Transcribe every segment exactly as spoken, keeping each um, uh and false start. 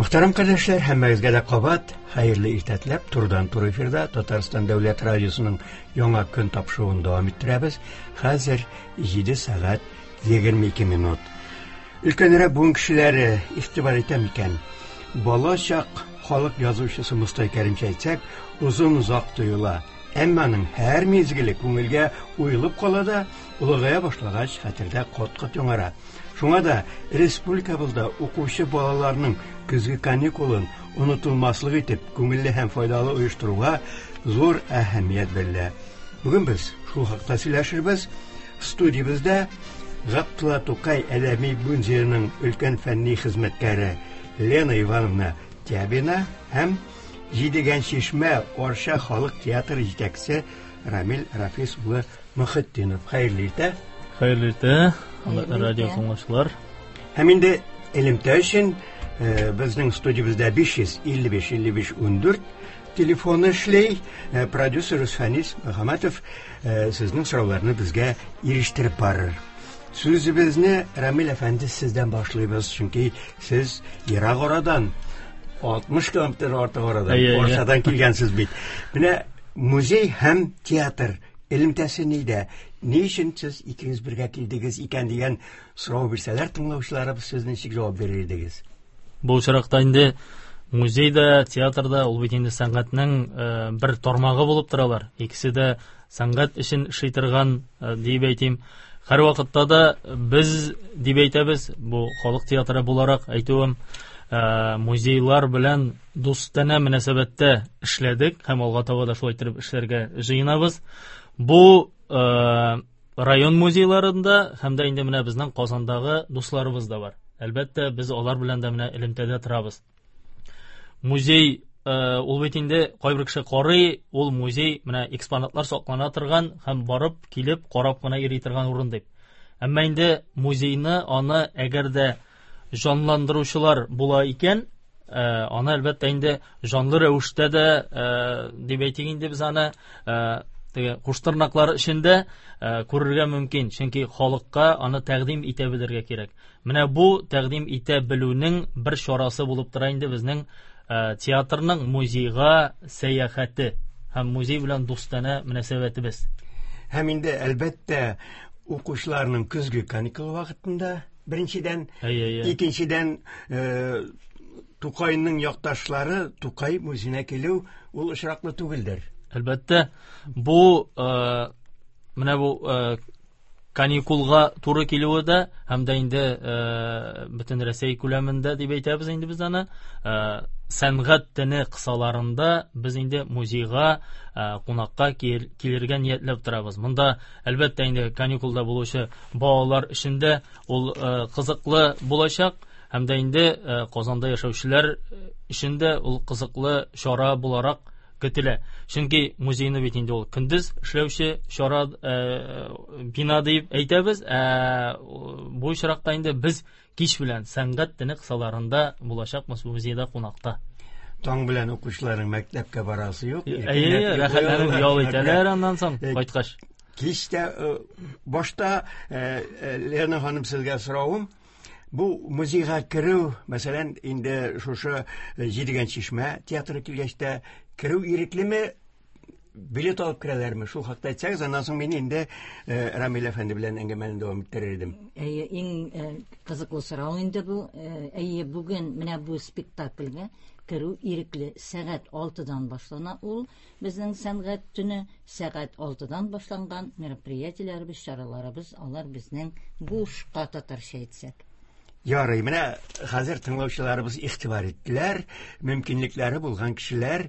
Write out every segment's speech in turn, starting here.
Мөхтәрәм кардәшләр, һәммәгезгә дә кабат хәерле иртә теләп, турыдан-туры эфирда Татарстан дәүләт радиосының яңа көн тапшыруын дәвам иттерәбез. Хәзер җиде сәгать егерме ике минут. Өлкәнрәк буын кешеләре игътибар итә микән? Бала чак халык язучысы Мостай Кәримчә әйтсәк, озын-озак тоела. Әмма аның һәр мизгеле күңелгә уелып кала да, олыгая башлагач хәтердә кат-кат яңара. Шуңа да республикабызда укучы балаларның көзге каникулын онытылмаслык итеп, күңелле һәм файдалы оештыруга зур әһәмият бирелә. Бүген без шул хакта сөйләшербез. Студиябездә Габдулла Тукай әдәби музееның өлкән фәнни хезмәткәре Лена Ивановна Тябина һәм Җидегән Чишмә Арча халык театры җитәкчесе Рамил Рафис улы Мөхетдинов. Хәерле иртә. Хәерле иртә, радио тыңлаучылар. Һәм инде элемтә өчен безнең студиябездә биш йөз илле биш илле биш ундүрт телефоны эшли. Продюсер Фәнис Мөхәммәтов сезнең сорауларны безгә ирештереп барыр. Сүзебезне Рамил әфәнде сездән башлыйбыз, чөнки сез ерак арадан, алтмыш километр артык арадан, Арчадан килгәнсез бит. Менә музей һәм театр элемтәсе нидә? Ни өчен сез икегез бергә килдегез икән дигән сорау бирсәләр тыңлаучыларыбыз, сез ничек җавап бирер идегез? Бу очракта инде музей да, театр да ул бит инде сәнгатьнең бер тармагы булып торалар. Икесе дә сәнгать өчен эшли торган дип әйтим. Һәр вакытта да без дип әйтәбез, бу халык театры буларак әйтүем, музейлар белән дустанә мөнәсәбәттә эшләдек һәм алга таба да шулай итеп эшләргә җыенабыз. Бу район музейларында һәм дә инде менә безнең Казандагы дусларыбыз да бар. Әлбәттә, без алар белән дә менә элемтәдә торабыз. Музей ул бит инде кайбер кеше карый, ул музей менә экспонатлар саклана торган һәм барып килеп карап кына йөри торган урын дип. Әмма инде музейны аны әгәр дә җанландыручылар була икән, аны әлбәттә инде җанлы рәвештә дә дип әйтик инде без аны теге куштырнаклар эчендә күрергә мөмкин, чөнки халыкка аны тәкъдим итә белергә кирәк. Менә бу тәкъдим итә белүнең бер чарасы булып тора инде безнең театрның музейга сәяхәте һәм музей белән дустанә мөнәсәбәтебез. Һәм инде әлбәттә укучыларның көзге каникул вакытында беренчедән, икенчедән Тукайның якташлары Тукай музеена килү ул очраклы түгелдер. Әлбәттә, бу менә бу каникулга туры килүе дә һәм дә инде бөтен Рәсәй күләмендә дип әйтәбез инде без аны, сәнгать төне кысаларында без инде музейга кунакка килергә ниятләп торабыз. Монда әлбәттә инде каникулда булучы балалар өчен дә ул кызыклы булачак һәм дә инде Казанда яшәүчеләр өчен дә ул кызыклы чара буларак көтелә. Чөнки музейны бит инде ул көндез эшләүче чара бина дип әйтәбез, ә бу очракта инде без кич белән сәнгать төне кысаларында булачакбыз музейда кунакта. Таң белән укучыларның мәктәпкә барасы юк. Әйе, рәхәтләнеп ял итәләр аннан соң кайткач. Кичтә башта Лена ханым сезгә соравым, бу музейга керү, мәсәлән, инде шушы Җидегән Чишмә театры килгәч тә керү иреклеме, билет алып керәләрме? Шул хакта әйтсәгез, аннан соң мин инде Рамил әфәнде белән әңгәмәне дәвам иттерер идем. Әйе, иң кызыклы сорау инде бу. Әйе, бүген менә бу спектакльгә керү ирекле. Сәгать алтыдан башлана ул. Безнең сәнгать төне сәгать алтыдан башланган мероприятиеләребез, чараларыбыз, алар безнең бушка татарча әйтсәк. Ярый, менә хәзер тыңлаучыларыбыз игътибар иттеләр, мөмкинлекләре булган кешеләр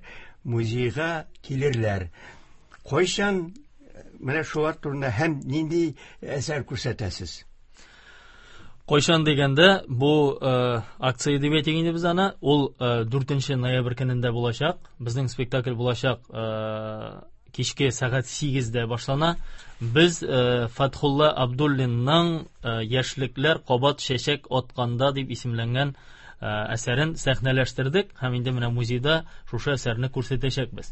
музейга килерләр. Кайчан менә шулар турында һәм нинди әсәр күрсәтәсез? Кайчан дигәндә, бу акция дип әйтик инде без аны, ул дүртенче ноябрь көнендә булачак. Безнең спектакль булачак кичке сәгать сигездә башлана. Без Фатхулла Абдуллинның Яшьлекләр кабат чәчәк атканда дип исемләнгән әсәрен сәхнәләштердек һәм инде менә музейда шушы әсәрне күрсәтәчәкбез.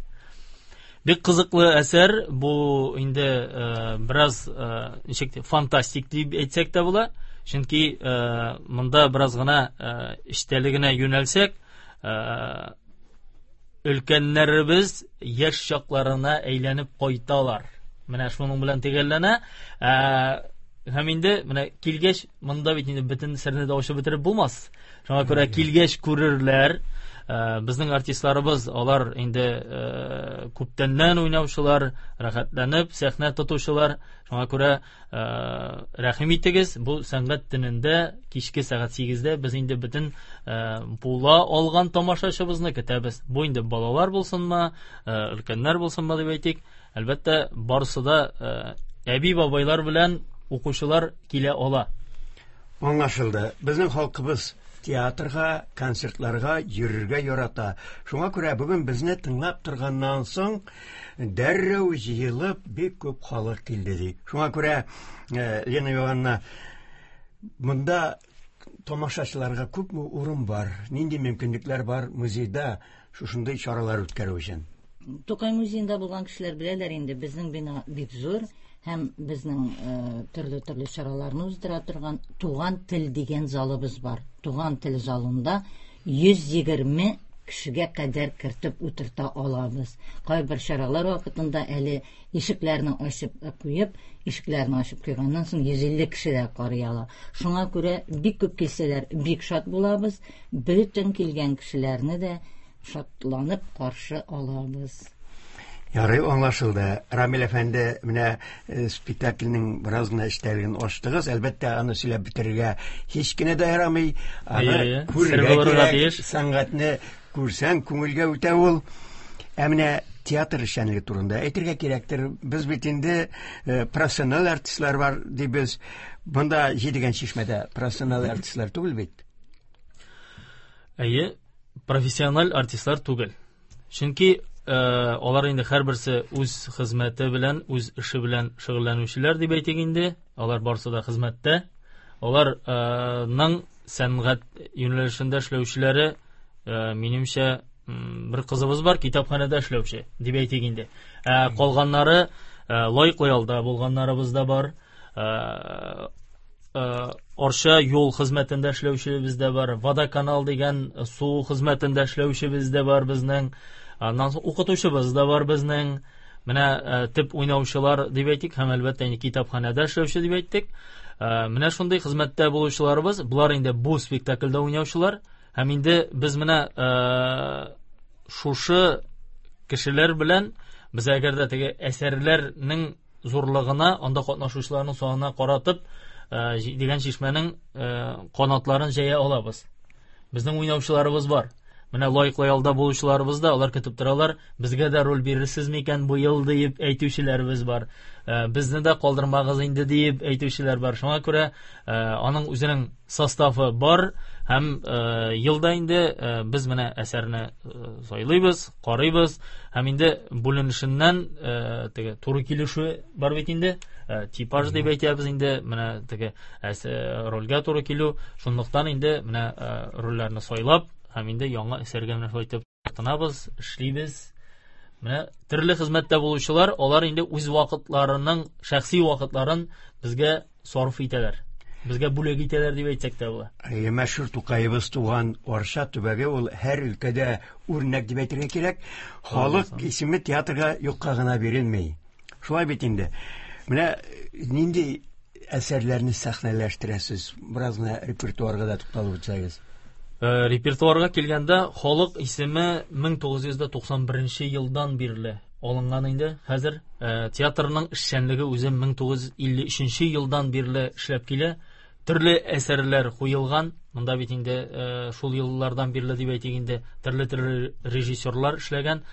Бик кызыклы әсәр, бу инде бераз ничек фантастик дип әйтсәк тә була. Чөнки монда бераз гына эчтәлегенә юнәлсәк, Өлкәннәребез яшь чакларына әйләнеп кайталар. Менә шуның белән төгәлләнә. Һәм инде менә килгәч, монда бит инде бөтен серне дә ачып бетереп булмас. Шуңа күрә килгәч күрерләр. Безнең артистларыбыз, алар инде күптәннән уйнаучылар, рәхәтләнеп сәхнә тотучылар. Шуңа күрә рәхим итегез, бу сәнгать төнендә кичке сәгать сигездә без инде бөтен була алган тамашачыбызны көтәбез. Бу инде балалар булсынмы, өлкәннәр булсынмы дип әйтик. Әлбәттә, барысы да әби-бабайлар белән укучылар килә ала. Аңлашылды. Безнең халкыбыз театрга, концертларга йөрергә ярата. Шуңа күрә бүген безне тыңлап торганнан соң дәррәү җыелып бик күп халык килде ди. Шуңа күрә Лена Ивановна, монда тамашачыларга күпме урын бар, нинди мөмкинлекләр бар музейда шушындый чаралар үткәрү өчен? Тукай музеенда булган кешеләр беләләр инде, безнең бина бик зур һәм безнең төрле-төрле чараларны уздыра торган Туган тел дигән залыбыз бар. Туган тел залында йөз егерме кешегә кадәр кертеп утырта алабыз. Кайбер чаралар вакытында әле ишекләрне ачып куеп, ишекләрне ачып куйганнан соң йөз илле кеше дә карый ала. Шуңа күрә бик күп килсәләр, бик шат булабыз. Бөтен килгән кешеләрне дә шатланып каршы алабыз. Ярый, аңлашылды. Рамил әфәнде, менә спектакльнең бераз гына эчтәлеген ачтыгыз. Әлбәттә, аны сөйләп бетерергә һич кенә дә ярамый. Аны күрергә кирәк. Сәнгатьне күрсәң, күңелгә үтә ул. Ә менә театр эшчәнлеге турында әйтергә кирәктер. Без бит инде профессиональ артистлар бар дибез. Монда Җидегән чишмәдә профессиональ артистлар түгел бит. Әйе, профессиональ артистлар түгел. Чөнки алар инде һәрберсе үз хезмәте белән, үз эше белән шөгыльләнүчеләр дип әйтик инде. Алар барысы да хезмәттә. Аларның сәнгать юнәлешендә эшләүчеләре, минемчә, бер кызыбыз бар, китапханәдә эшләүче дип әйтик инде. Ә калганнары лаеклы ялда булганнарыбыз да бар. Арча юл хезмәтендә эшләүчебез дә бар, Водоканал дигән су хезмәтендә эшләүчебез дә бар безнең. Аннан соң укытучыбыз да бар безнең. Менә төп уйнаучылар дип әйтик, һәм әлбәттә инде китапханәдә эшләүче дип әйттек. Менә шундый хезмәттә булучыларыбыз, булар инде бу спектакльдә уйнаучылар. Һәм инде без менә шушы кешеләр белән без әгәр дә теге әсәрләрнең зурлыгына, анда катнашучыларның санына каратып, Җидегән чишмәнең канатларын җәя алабыз. Безнең уйнаучыларыбыз бар. Менә лаеклы ялда булучыларыбыз да, алар көтеп торалар, безгә дә роль бирерсез микән бу ел дип әйтүчеләребез бар. Безне дә калдырмагыз инде дип әйтүчеләр бар. Шуңа күрә аның үзенең составы бар һәм елда инде без менә әсәрне сайлыйбыз, карыйбыз һәм инде бүленешеннән теге туры килүше бар бит инде, типаж дип әйтәбез инде, менә теге рольгә туры килү. Шунлыктан инде менә рольләрне сайлап һәм инде яңа әсәргә менә шулай итеп тотынабыз, эшлибез. Менә төрле хезмәттә булучылар, алар инде үз вакытларының, шәхси вакытларын безгә сарыф итәләр. Безгә бүләк итәләр дип әйтсәк тә була. Әйе, мәшһүр Тукаебыз туган Арча төбәге ул һәр өлкәдә үрнәк дип әйтергә кирәк. Халык исеме театрга юкка гына бирелми. Шулай бит инде. Менә нинди әсәрләрне сәхнәләштерәсез? Бераз гына репертуарга да тукталып үтсәгез. Репертуарга килгәндә, халык исеме мең тугыз йөз туксан беренче елдан бирле алынган инде. Хәзер театрның эшчәнлеге үзе мең тугыз йөз илле өченче елдан бирле эшләп килә. Төрле әсәрләр куелган. Монда бит инде шул еллардан бирле дип әйтик инде, төрле-төрле режиссерлар эшләгән.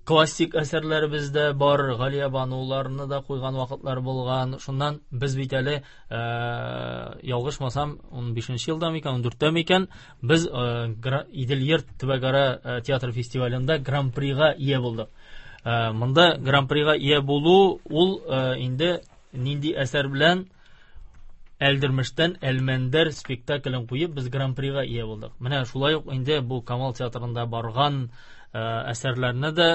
Классик әсәрләребез дә бар, Галия Бануларны да куйган вакытлар булган. Шуннан без бит әле, ялгышмасам, ун бишенче елда микән, ун дүрттә микән, без Идел-Йорт төбәкара театр фестивалендә гран-прига ия булдык. Монда гран-прига ия булу ул инде нинди әсәр белән Әлдермештән Әлмәндәр спектаклен куеп без гран-прига ия булдык. Менә шулай ук инде бу Камал театрында барган әсәрләрне дә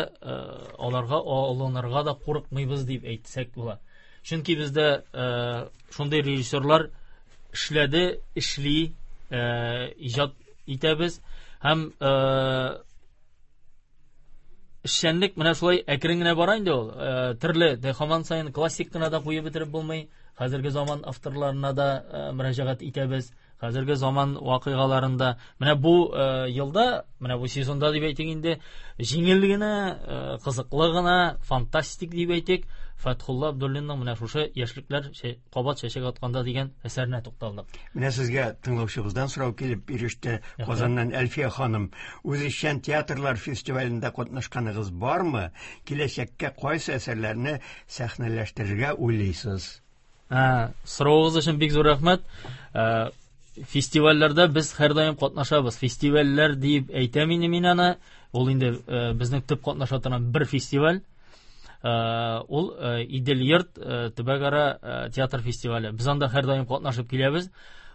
аларга алынырга да курыкмыйбыз дип әйтсәк була. Чөнки бездә шундый режиссерлар эшләде, эшли, иҗат итәбез. Һәм эшчәнлек менә шулай әкрен генә бара инде ул. Төрле һаман саен классик кына да куеп бетереп булмый. Хәзерге заман авторларына да мөрәҗәгать итәбез. Хәзерге заман вакыйгаларында менә бу елда, менә бу сезонда дип әйтик инде, җиңел генә, кызыклы гына, фантастик дип әйтик, Фәтхулла Абдуллинның менә шушы яшьлекләр кабат чәчәк атканда дигән әсәренә тукталдык. Менә сезгә тыңлаучыбыздан сорау килеп иреште. Казаннан Әлфия ханым, үзешчән театрлар фестивалендә катнашканыгыз бармы? Киләчәккә кайсы әсәрләрне сәхнәләштерергә уйлыйсыз? Ә, соравыгыз өчен бик зур рәхмәт. Фестивальләрдә без һәрдаим катнашабыз. Фестивальләр дип әйтәм инде мин аны. Ул инде безнең төп катнаша торган бер фестиваль. Ул Идел йорт төбәкара театр фестивале. Без анда һәрдаим катнашып киләбез.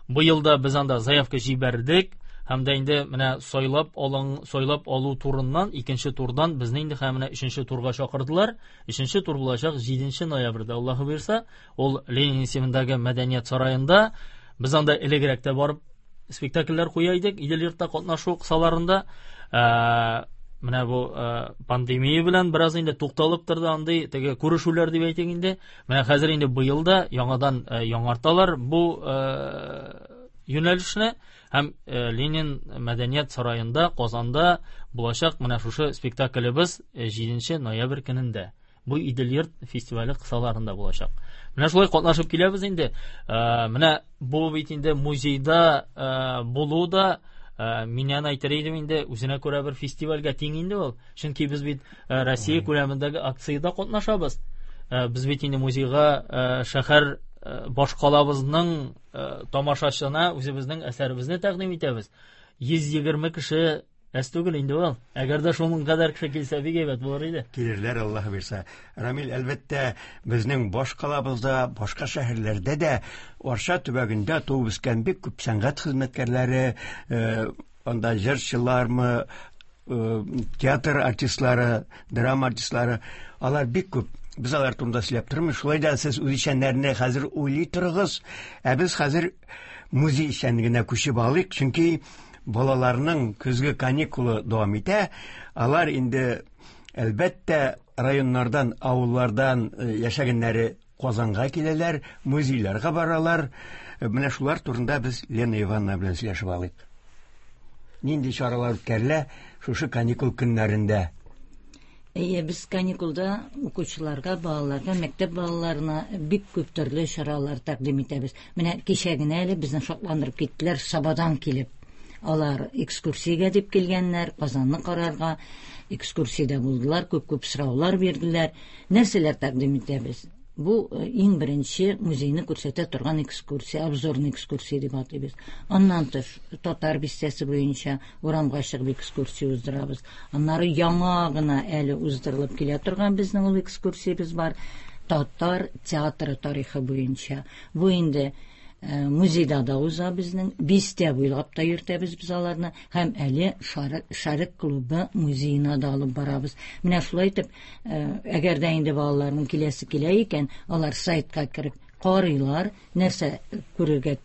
Бу елда без анда заявка җибәрдек. Һәм дә инде менә сайлап алың, сайлап алу турыннан, икенче турдан безне инде һәм менә өченче турга чакырдылар. Өченче тур булачак җиденче ноябрьдә, Аллаһы боерса, ул Ленин исемендәге мәдәният сараенда. Без анда элегрәк тә барып спектакльләр куя идек, Идел йортта катнашу кысаларында. Менә бу пандемия белән бераз инде тукталып торды андый теге күрешүләр дип әйтик инде. Менә хәзер инде быел да яңадан яңарталар бу юнәлешне. Һәм Ленин мәдәният сараенда Казанда булачак менә шушы спектаклебез җиденче ноябрь көнендә. Бу Идел йорт фестивале кысаларында булачак. Менә шулай катнашып киләбез инде. Менә бу бит инде музейда булу да мин аны әйтер идем инде, үзенә күрә бер фестивальгә тиң инде ул. Чөнки без бит Россия күләмендәге акциядә катнашабыз. Без бит инде музейга шәһәр башкалабызның тамашачына үзебезнең әсәребезне тәкъдим итәбез. йөз егерме кеше әз түгел инде ул. Әгәр дә шуның кадәр кеше килсә, бик әйбәт булыр иде. Килерләр, Аллаһ бирсә. Рамил, әлбәттә, безнең башкалабызда, башка шәһәрләрдә дә Арча төбәгендә туып үскән бик күп сәнгать хезмәткәрләре, анда җырчылармы, театр артистлары, драма артистлары, алар бик күп. Без алар турында сөйләп тормыйбыз. Шулай да сез үзешчәннәрне хәзер уйлый торыгыз. Ә без хәзер музей эшчәнлегенә күчеп алыйк, чөнки балаларның көзге каникулы дәвам итә. Алар инде әлбәттә районнардан, авыллардан яшәгәннәре Казанга киләләр, музейларга баралар. Менә шулар турында без Лена Ивановна белән сөйләшеп алыйк. Нинди чаралар үткәрелә шушы каникул көннәрендә? Әйе, без каникулда укучыларга, балаларга, мәктәп балаларына бик күп төрле чаралар тәкъдим итәбез. Менә кичә генә әле безне шатландырып киттеләр, Сабадан килеп. Алар экскурсиягә дип килгәннәр, Казанны карарга. Экскурсиядә булдылар, күп-күп сораулар бирделәр. Нәрсәләр тәкъдим итәбез? Бу иң беренче музейны күрсәтә торган экскурсия, обзорный экскурсия дип атыйбыз. Аннан тыш татар бистәсе буенча урамга чыгып экскурсия уздырабыз. Аннары яңа гына әле уздырылып килә торган безнең ул экскурсиябез бар. Татар театры тарихы буенча. Бу инде музейда да уза безнең, бистә буйлап та йөртәбез без аларны, һәм әле Шәрык клубы музеена да алып барабыз. Менә шулай итеп, әгәр дә инде балаларның киләсе килә икән, алар сайтка кереп карыйлар, нәрсә күрергә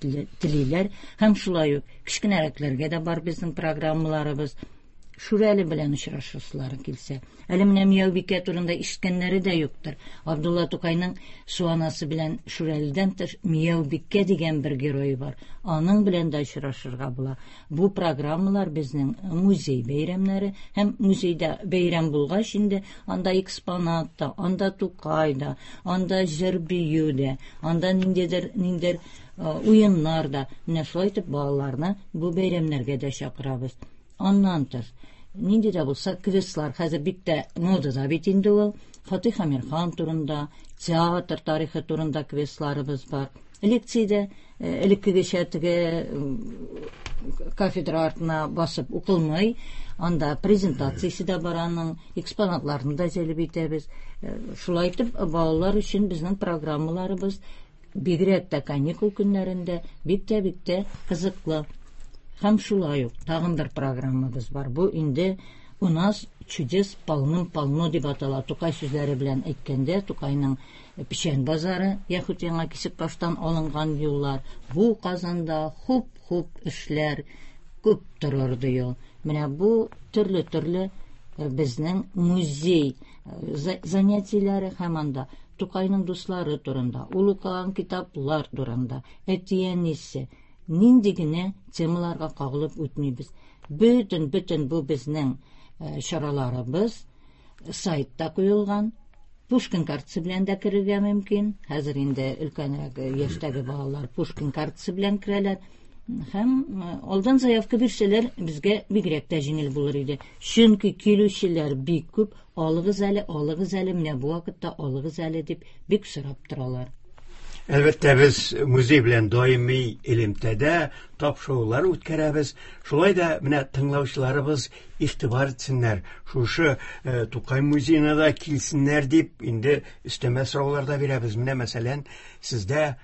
телиләр, һәм шулай ук кечкенәрәкләргә дә бар безнең программаларыбыз. Шүрәле белән очрашасылары килсә. Әле менә Мияубикә турында ишеткәннәре дә юктыр. Абдулла Тукайның Суанасы белән Шүрәледән тыш Мияубикә дигән бер герое бар. Аның белән дә очрашырга була. Бу программалар безнең музей бәйрәмнәре, һәм музейда бәйрәм булгач инде анда экспонат та, анда Тукай да, анда җыр-бию дә, анда ниндидер ниндидер уеннар да. Менә шулай итеп балаларны бу бәйрәмнәргә дә чакырабыз. Аннан тыш, нинди дә булса квестлар, хәзер бик тә модада бит инде ул. Фатих Әмирхан турында, театр тарихы турында квестларыбыз бар. Лекциядә элеккегечә теге кафедра артына басып укылмый, анда презентациясе дә бар аның, экспонатларны да җәлеп итәбез. Шулай итеп, балалар өчен безнең программаларыбыз бигрәк тә каникул көннәрендә бик тә бик тә кызыклы. Һәм шулай ук тагын бер программабыз бар. Бу инде у нас чудес полным-полно дип атала. Тукай сүзләре белән әйткәндә, Тукайның Печән базары, яхут яңа Кисекбаштан алынган юллар. Бу Казанда хуп-хуп эшләр, Күп торыр ди ул. Менә бу төрле-төрле безнең музей занятиеләре һәм анда Тукайның дуслары турында, ул укыган китаплар турында, әти-әнисе, нинди генә темаларга кагылып үтмибез. Бөтен, бөтен бу безнең чараларыбыз сайтта куелган. Пушкин картасы белән дә керергә мөмкин. Хәзер инде өлкәнрәк яшьтәге балалар Пушкин картасы белән керәләр. Һәм алдан заявка бирсәләр, безгә бигрәк тә җиңел булыр иде. Чөнки килүчеләр бик күп, алыгыз әле, алыгыз әле, менә бу вакытта алыгыз әле дип бик сорап торалар. Әлбәттә, без музей белән даими элемтәдә тапшырулар үткәрәбез. Шулай да менә тыңлаучыларыбыз игътибар итсеннәр. Шушы э, Тукай музеена да килсеннәр дип инде өстәмә сораулар да бирәбез. Менә мәсәлән, сездә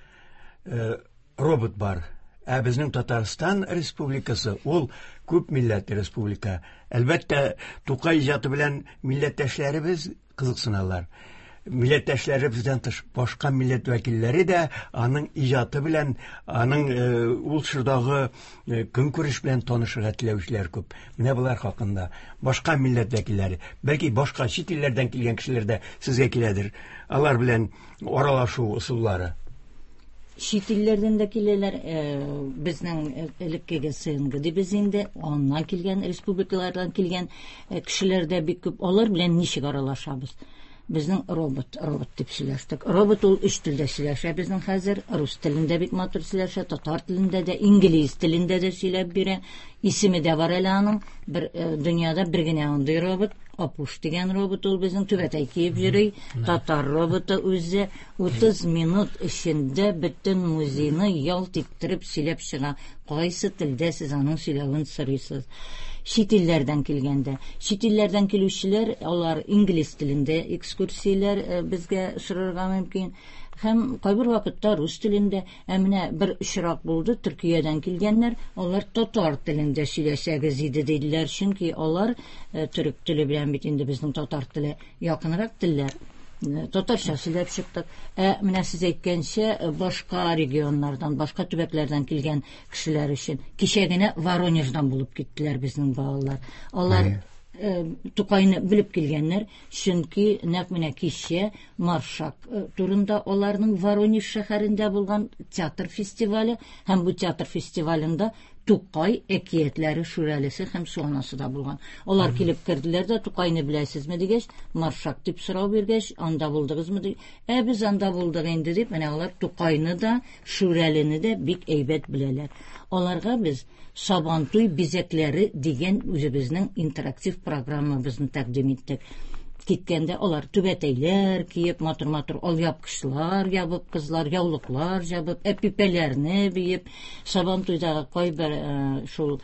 э, робот бар. Ә безнең Татарстан Республикасы ул күп милләтле республика. Әлбәттә, Тукай иҗаты белән милләттәшләребез кызыксыналар. Милләттәшләребездән тыш башка милләт вәкилләре дә аның иҗаты белән, аның ул чордагы көнкүреш белән танышырга теләүчеләр күп. Менә болар хакында башка милләт вәкилләре, бәлки башка чит илләрдән килгән кешеләр дә сезгә киләдер. Алар белән аралашу ысуллары. Чит илләрдән дә киләләр, безнең элеккеге СНГ дибез инде, аннан килгән республикалардан килгән кешеләр дә бик күп. Алар белән ничек аралашабыз? Безнең робот, робот дип сөйләштек. Робот ул өч телдә сөйләшә безнең хәзер. Рус телендә бик матур сөйләшә, татар телендә дә, инглиз телендә дә сөйләп бирә. Исеме дә бар әле аның. Бер дөньяда бер генә андый робот, Апуш дигән робот ул безнең түбәтәй киеп йөри. Татар роботы үзе утыз минут эчендә бөтен музейны ялт иттереп сөйләп чыга. Кайсы телдә сез аның сөйләвен сорыйсыз? Чит илләрдән килгәндә, чит илләрдән килүчеләр алар инглиз телендә экскурсияләр безгә сорарга мөмкин. Һәм кайбер вакытта рус телендә. Ә менә бер очрак булды, Төркиядән килгәннәр, алар татар телендә сөйләсәгез иде диделәр, чөнки алар төрек теле белән бит инде безнең татар теле якынрак телләр. Татарча сөйләп чыктык. Ә менә сез әйткәнчә, башка регионнардан, башка төбәкләрдән килгән кешеләр өчен кичә генә Воронеждан булып киттеләр безнең балалар. Алар Тукайны белеп килгәннәр, чөнки нәкъ менә кичә Маршак турында аларның Воронеж шәһәрендә булган театр фестивале һәм бу театр фестивалендә Тукай әкиятләре Шүрәлесе һәм Суанасы да булган. Алар килеп керделәр дә, Тукайны беләсезме дигәч, Маршак дип сорау биргәч, анда булдыгызмы дип, ә без анда булдык инде дип, менә алар Тукайны да, Шүрәлене дә бик әйбәт беләләр. Аларга без Сабантуй бизәкләре дигән үзебезнең интерактив программабызны тәкъдим иттек. Киткәндә алар түбәтәйләр киеп, матур-матур алъяпкычлар ябып, кызлар яулыклар ябып, әпипәләрне биеп, Сабантуйдагы кайбер шул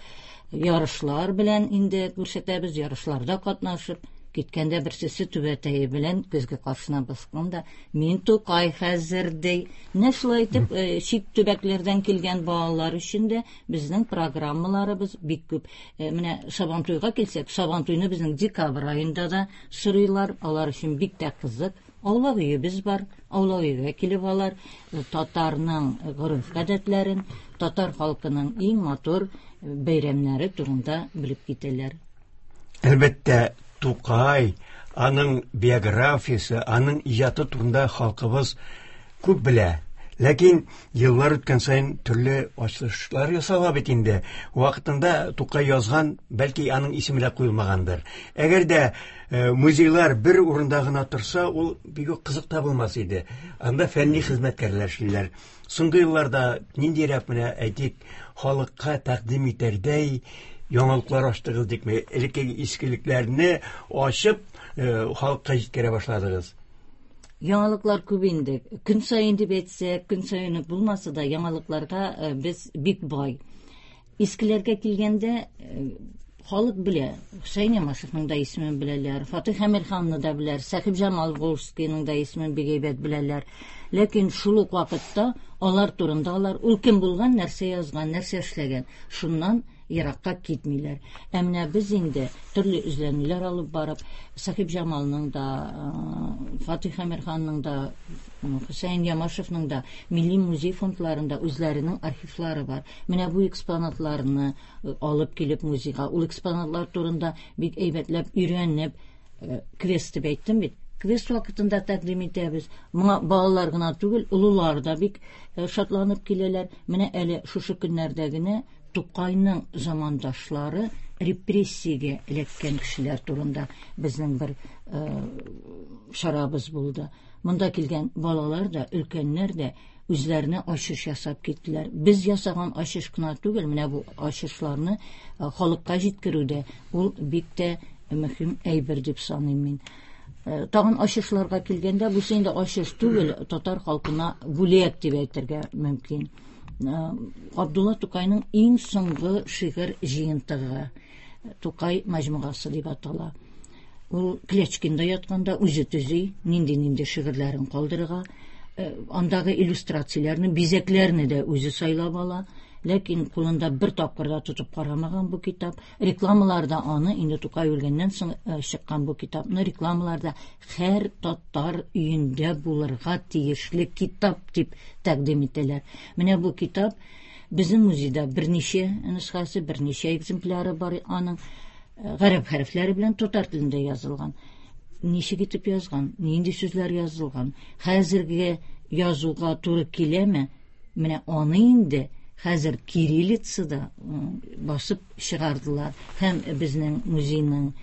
ярышлар белән инде күрсәтәбез, ярышларда катнашып, киткәндә берсесе түбәтәе белән көзге каршына басканда, мин Тукай хәзер ди. Менә шулай итеп, чит төбәкләрдән килгән балалар өчен дә безнең программаларыбыз бик күп. Менә Сабантуйга килсәк, Сабантуйны безнең декабрь аенда да сорыйлар, алар өчен бик тә кызык. Аулак өебез бар, аулак өйгә килеп алар татарның гореф-гадәтләрен, татар халкының иң матур бәйрәмнәре турында белеп китәләр. Әлбәттә, Тукай, аның биографиясе, аның иҗаты турында халкыбыз күп белә. Ләкин еллар үткән саен төрле ачышлар ясала бит инде. Вакытында Тукай язган, бәлки аның исеме дә куелмагандыр. Әгәр дә музейлар бер урында гына торса, ул бик үк кызык та булмас иде. Анда фәнни хезмәткәрләр эшлиләр. Соңгы елларда ниндирәк менә әйтик, халыкка тәкъдим итәрдәй яңалыклар ачтыгыз дикме? Элеккеге искелекләрне ачып, халыкка җиткерә башладыгыз. Яңалыклар күп инде. Көн саен дип әйтсәк, көн саен булмаса да яңалыкларга без бик бай. Искеләргә килгәндә халык белә. Хөсәен Ямашевның да исемен беләләр, Фатих Әмирханны да беләләр, Сәхибҗамал Волжскийның да исемен бик әйбәт беләләр. Ләкин шул ук вакытта алар турында алар ул кем булган, нәрсә язган, нәрсә эшләгән, шуннан еракка китмиләр. Ә менә без инде төрле эзләнүләр алып барып, Сәхибҗамалның да, Фатих Әмирханның да Хөсәен Ямашевның да Милли музей фондларында үзләренең архивлары бар. Менә бу экспонатларны алып килеп музейга, ул экспонатлар турында бик әйбәтләп өйрәнеп, квест дип әйттем бит. Квест вакытында тәкъдим итәбез. Моңа балалар гына түгел, олылар да бик шатланып киләләр. Менә әле шушы көннәрдә генә Тукайның замандашлары репрессиягә эләккән кешеләр турында безнең бер чарабыз булды. Монда килгән балалар да, өлкәннәр дә үзләренә ачыш ясап киттеләр. Без ясаган ачыш кына түгел, менә бу ачышларны халыкка җиткерүдә ул бик тә мөһим әйбер дип саныйм мин. Тагын ачышларга килгәндә, бу инде ачыш түгел, татар халкына бүләк дип әйтергә мөмкин. Габдулла Тукайның иң соңгы шигырь җыентыгы Тукай мәҗмугасы дип атала. Ул Клячкинда ятканда үзе төзи, нинди-нинди шигырьләрен калдырырга, андагы иллюстрацияләрне, бизәкләрне дә үзе сайлап ала. Ләкин кулында бер тапкыр да тотып карамаган бу китап. Рекламаларда аны, инде Тукай үлгәннән соң чыккан бу китапны рекламаларда һәр татар өендә булырга тиешле китап дип тәкъдим итәләр. Менә бу китап безнең музейда берничә нөсхәсе, берничә экземпляры бар аның. Гарәп хәрефләре белән татар телендә язылган. Ничек итеп язган, нинди сүзләр язылган, хәзерге язуга туры киләме? Менә аны инде хәзер кириллицада басып чыгардылар. Һәм безнең музейның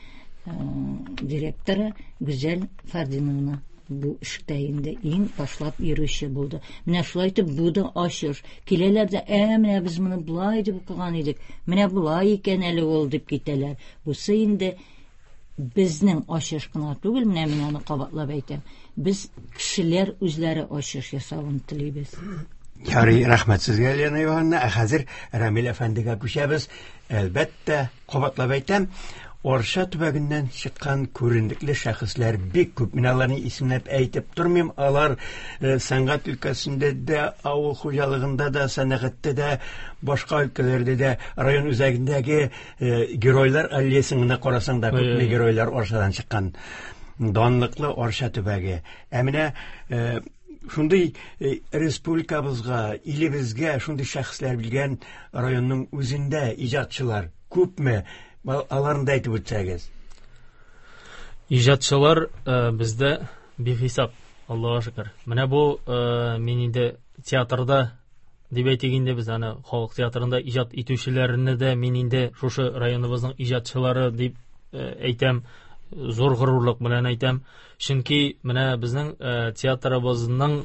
директоры Гүзәл Фардиновна бу эштә инде иң башлап йөрүче булды. Менә шулай итеп бу да ачыш. Киләләр дә, ә менә без моны болай дип укыган идек, менә болай икән әле ул дип китәләр. Бусы инде безнең ачыш кына түгел, менә мин аны кабатлап әйтәм. Без кешеләр үзләре ачыш ясавын телибез. Ярый, рәхмәт сезгә, Лена Ивановна. Ә хәзер Рамил әфәндегә күчәбез. Әлбәттә, кабатлап әйтәм, Арча төбәгеннән чыккан күренекле шәхесләр бик күп. Мин аларны исемләп әйтеп тормыйм. Алар сәнгать өлкәсендә дә, авыл хуҗалыгында да, сәнәгатьтә дә, башка өлкәләрдә дә, район үзәгендәге геройлар аллеясын гына карасаң да күпме геройлар Арчадан чыккан. Данлыклы Арча төбәге. Ә менә шундый республикабызга, илебезгә шундый шәхесләр белгән районның үзендә иҗатчылар күпме? Аларны да әйтеп үтсәгез. Иҗатчылар бездә бихисап, Аллаһка шөкер. Менә бу мин инде театрда дип әйтик инде, без аны халык театрында иҗат итүчеләрне дә мин инде шушы районыбызның иҗатчылары дип әйтәм, зур горурлык белән әйтәм. Чөнки менә безнең театрыбызның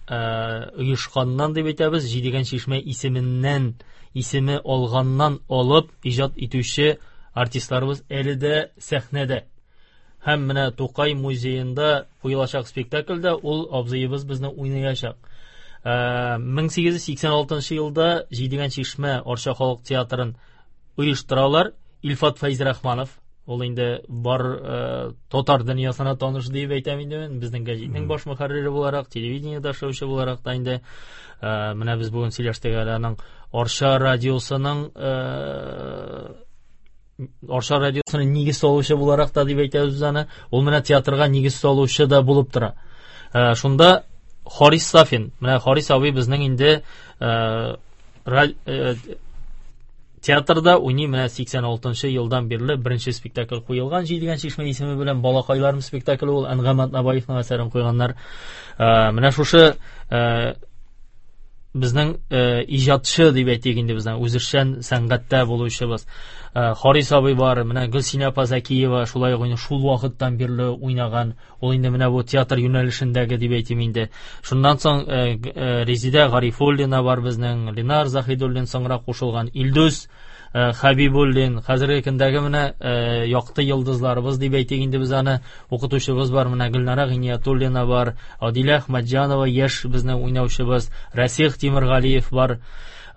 оешканнан дип әйтәбез, Җидегән чишмә исеменнән, исеме алганнан алып иҗат итүче артистларыбыз әле дә сәхнәдә. Һәм менә Тукай музеенда куелачак спектакльдә ул абзыебыз безне уйнаячак. мең сигез йөз сиксән алтынчы елда Җидегән чишмә Арча халык театрын оештыралар. Илфат Фәйзрахманов, ул инде бар татар дөньясына таныш дип әйтәм инде мин, безнең гәҗитнең баш мөхәррире буларак, телевидениедә эшләүче буларак та инде менә без бүген сөйләштек әле аның Арча радиосының Арча радиосының нигез салучы буларак та дип әйтәбез аны. Ул менә театрга нигез салучы да булып тора. Шунда Харис Сафин, менә Харис абый безнең инде театрда уйный менә сиксән алтынчы елдан бирле беренче спектакль куелган Җидегән чишмә исеме белән Балакайларым спектакле, ул Әнгам Атнабаевның әсәрен куйганнар. Менә шушы безнең иҗатчы дип әйтик инде, безнең үзешчән сәнгатьтә булучыбыз. Харис абый бар, менә Гөлсинә апа Зәкиева шулай ук шул вакыттан бирле уйнаган. Ул инде менә бу театр юнәлешендәге дип әйтим инде. Шуннан соң Резидә Гарифуллина бар безнең, Ленар Заһидуллин соңрак кушылган, Илдус Хәбибуллин, хәзерге көндәге менә якты йолдызларыбыз дип әйтик инде без аны, укытучыбыз бар, менә Гөлнара Гиниятуллина бар, Адилә Әхмәтҗанова яшь безнең уйнаучыбыз, Расих Тимергалиев бар.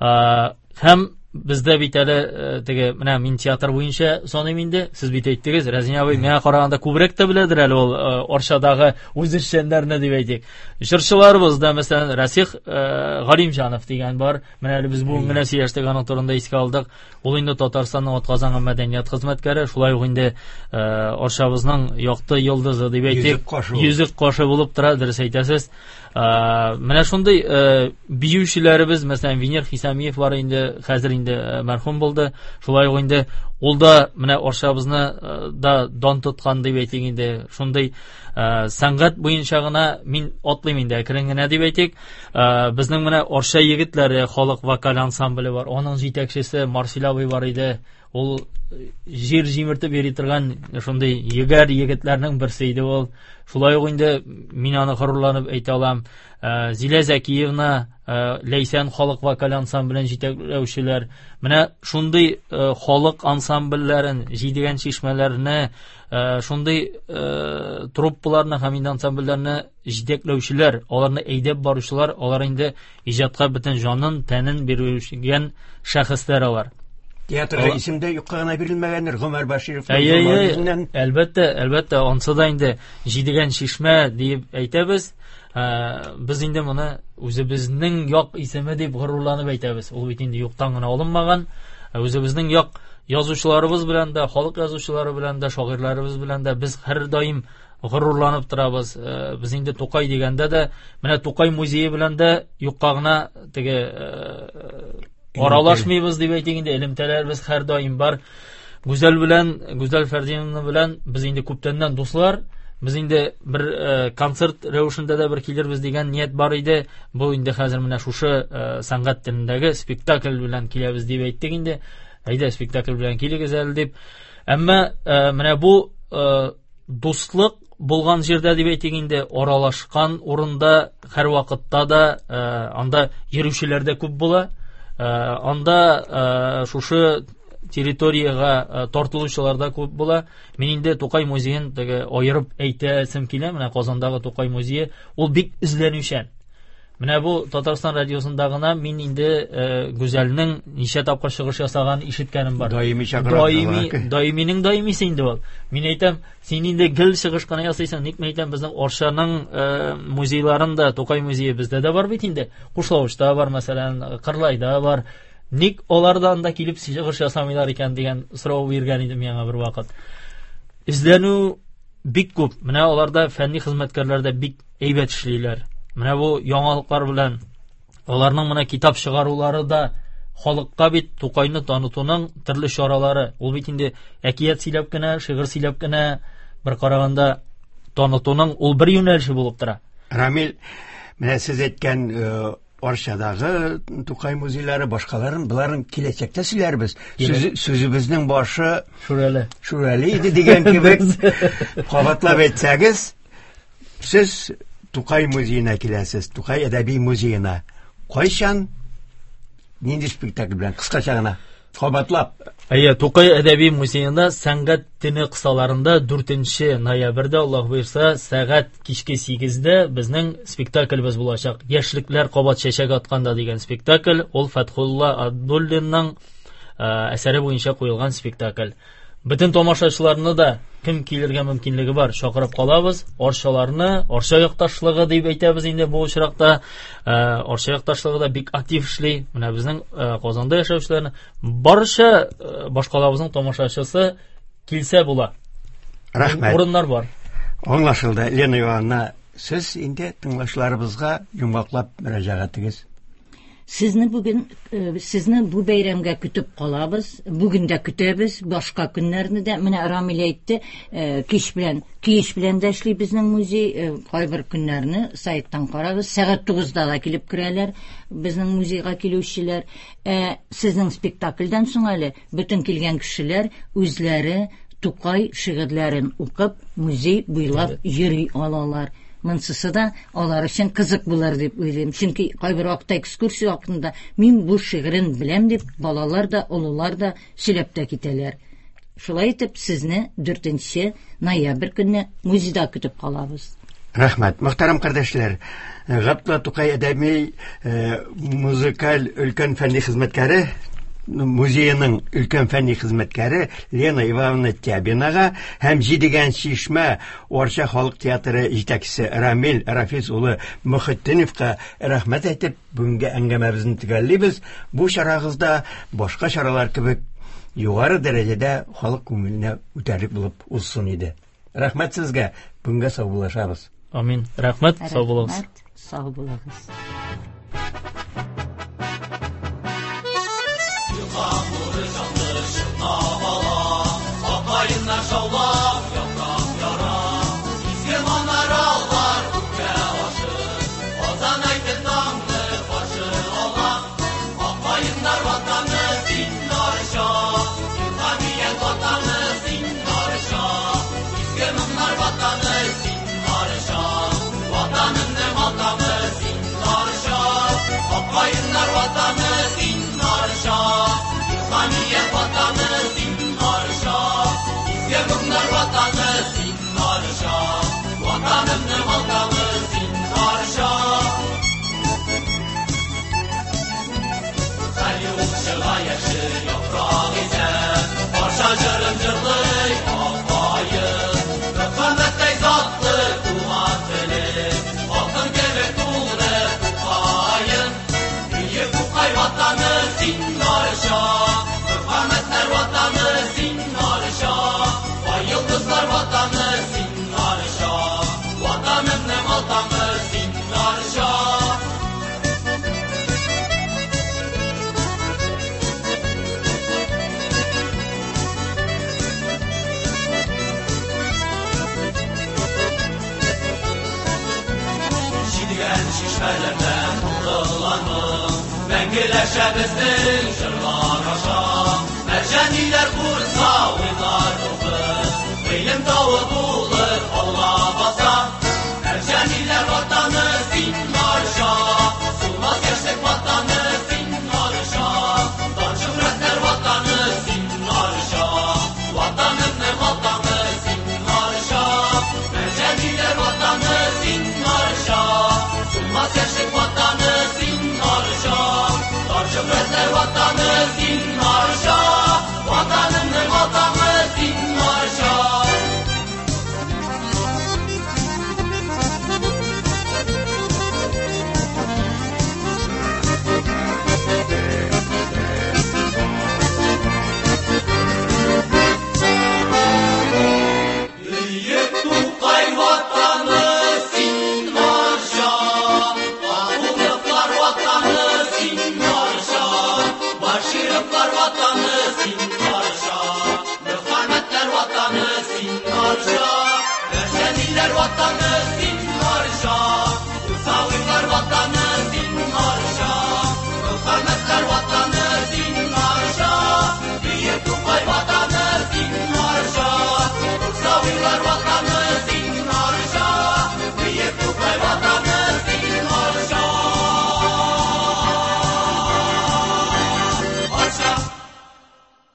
Һәм Бездә бит әле теге менә мин театр буенча саныйм инде. Сез бит әйттегез, Рәзин абый миңа караганда күбрәк тә беләдер әле ул Арчадагы үзешчәннәрне дип әйтик. Җырчыларыбыз да, мәсәлән, Расих Галимҗанов дигән бар. Менә әле без бүген генә сөйләштек, аның турында искә алдык. Ул инде Татарстанның атказанган мәдәният хезмәткәре, шулай ук инде Арчабызның якты йолдызы дип әйтик. Йөзек кашы булып тора, дөрес әйтәсез. Менә шундый биючеләребез, мәсәлән, Венер Хисамиев бар инде, хәзер инде мәрхүм булды. Шулай ук инде ул да менә Арчабызны да дан тоткан дип әйтик инде. Шундый сәнгать буенча гына мин атлыйм инде әкрен генә дип әйтик. Безнең менә Арча егетләре халык вокаль ансамбле бар. Аның җитәкчесе Марсил абый бар иде. Ул җир җимертеп йөри торган шундый егәр егетләрнең берсе иде ул. Шулай ук инде мин аны горурланып әйтә алам. Зилә Зәкиевна, Ләйсән халык вокаль ансамблен җитәкләүчеләр. Менә шундый халык ансамбльләрен, җидегән чишмәләрне, шундый труппаларны һәм инде ансамбльләрне җитәкләүчеләр, аларны әйдәп баручылар, алар инде иҗатка бөтен җанын, тәнен бирүче шәхесләр алар. Театрга исем дә юкка гына бирелмәгәндер, Гомәр Баширов. Әлбәттә, әлбәттә, ансы да инде җидегән чишмә дип әйтәбез. Без инде моны үзебезнең як исеме дип горурланып әйтәбез. Ул бит инде юктан гына алынмаган. Үзебезнең як язучыларыбыз белән дә, халык язучылары белән дә, шагыйрьләребез белән дә без һәрдаим горурланып торабыз. Без инде Тукай дигәндә дә, менә Тукай музее белән дә юкка гына теге аралашмыйбыз дип әйтик инде, элемтәләребез һәрдаим бар. Гүзәл белән, Гүзәл Фәрдиевна белән без инде күптәннән дуслар. Без инде бер э, концерт рәвешендә дә бер килербез дигән ният бар иде. Бу инде хәзер менә шушы э, сәнгать телендәге спектакль белән киләбез дип әйттек инде. Әйдә, спектакль белән килегез әле дип. Әмма э, менә бу э, дуслык булган җирдә дип әйтик инде, аралашкан урында һәр вакытта да э, анда йөрүчеләр дә күп була. Анда шушы территорияга тартылучылар да күп була. Мин инде Тукай музеен теге аерып әйтәсем килә. Менә Казандагы Тукай музее ул бик эзләнүчән. Менә бу Татарстан радиосында гына мин инде Гүзәлнең ничә тапкыр чыгыш ясаганын ишеткәнем бар. Даими чакыра. Даими, даиминең даимисе инде ул. Мин әйтәм, син инде гел чыгыш кына ясыйсың. Ник мин әйтәм, безнең Арчаның музейларында Тукай музее бездә дә бар бит инде. Кушлавычта бар, мәсәлән, Кырлайда бар. Ник алардан да килеп чыгыш ясамыйлар икән дигән сорау биргән идем миңа бер вакыт. Эзләнү бик күп. Менә аларда фәнни хезмәткәрләр дә бик әйбәт эшлиләр. Менә бу яңалыклар белән аларның менә китап чыгарулары да халыкка бит Тукайны танытуның төрле чаралары. Ул бит инде әкият сөйләп кенә, шигырь сөйләп кенә бер караганда танытуның ул бер юнәлеше булып тора. Рамил, менә сез әйткән Арчадагы Тукай музейлары, башкаларын, бұларын киләчәктә сөйләрбез. Сүзебезнең башы Шүрәле. Шүрәле иде дигән кебек кабатлап әйтсәгез, сез Тукай музеена киләсез, Тукай әдәби музеена. Кайчан, нинди спектакль белән, кыскача гына кабатлап? Әйе, Тукай әдәби музеенда сәнгать төне кысаларында дүртенче ноябрьдә, Аллаһ боерса, сәгать кичке сигездә безнең спектаклебез булачак. Яшьлекләр кабат чәчәк атканда дигән спектакль, ул Фәтхулла Абдуллинның әсәре буенча куелган спектакль. Бөтен тамашачыларны да кем килергә мөмкинлеге бар, чакырып калабыз. Арчаларны, Арча якташлыгы дип әйтәбез инде бу очракта. Арча якташлыгы да бик актив эшли. Менә безнең Казанда яшәүчеләрне барча башкалабызның тамашачысы килсә була. Рәхмәт. Урыннар бар. Аңлашылды. Лена Ивановна, сез инде тыңлаучыларыбызга йомгаклап мөрәҗәгатегез. Сезне бүген, сезне бу бәйрәмгә көтеп калабыз. Бүген дә көтәбез, башка көннәрне дә. Менә Рамил әйтте, кич белән, кич белән дә эшли безнең музей. Кайбер көннәрне сайттан карагыз. Сәгать тугызда да килеп керәләр безнең музейга килүчеләр. Ә сезнең спектакльдән соң әле бөтен килгән кешеләр үзләре Тукай шигырьләрен укып, музей буйлап йөри алалар. Монсысы да алар өчен кызык булыр дип уйлыйм. Чөнки кайбер вакытта экскурсия вакытында мин бу шигырен беләм дип балалар да, олылар да сөйләп тә китәләр. Шулай итеп сезне дүртенче ноябрь көнне музейда көтеп калабыз. Рәхмәт. Мөхтәрәм кардәшләр, Габдулла Тукай әдәби музыкаль өлкән фәнни хезмәткәре музееның өлкән фәнни хезмәткәре Лена Ивановна Тябинага һәм Җидегән чишмә Арча халык театры җитәкчесе Рамил Рафис улы Мөхетдиновка рәхмәт әйтеп, бүгенге әңгәмәбезне төгәллибез. Бу чарагызда башка чаралар кебек югары дәрәҗәдә халык күңеленә үтәрлек булып узсын иде. Рәхмәт сезгә. Бүгенгә саубуллашабыз. Амин. Рәхмәт, сау булыгыз. Рәхмәт, сау булыгыз. Мәңгеләшә безнең җырлар аша, Мәрҗаниләр курса уйлар рухы, Гыйлем тавы булып алга баса. Мәрҗаниләр ватаны син Арча, Сулмас яшьлек ватаны син Арча, Дан шөһрәтләр ватаны син Арча, Ватанымның ватаны син Арча, Мәрҗаниләр ватаны син Арча, Сулмас яшьлек ватаны син Арча, Шөһрәтләр ватаны син Арча, Ватанымның ватаны син Арча. Бөек Тукай ватаны син Арча, Ахуновлар ватаны син Арча, Башировлар ватаны син Арча, Мөхәммәтләр ватаны син Арча, Мәрҗаниләр ватаны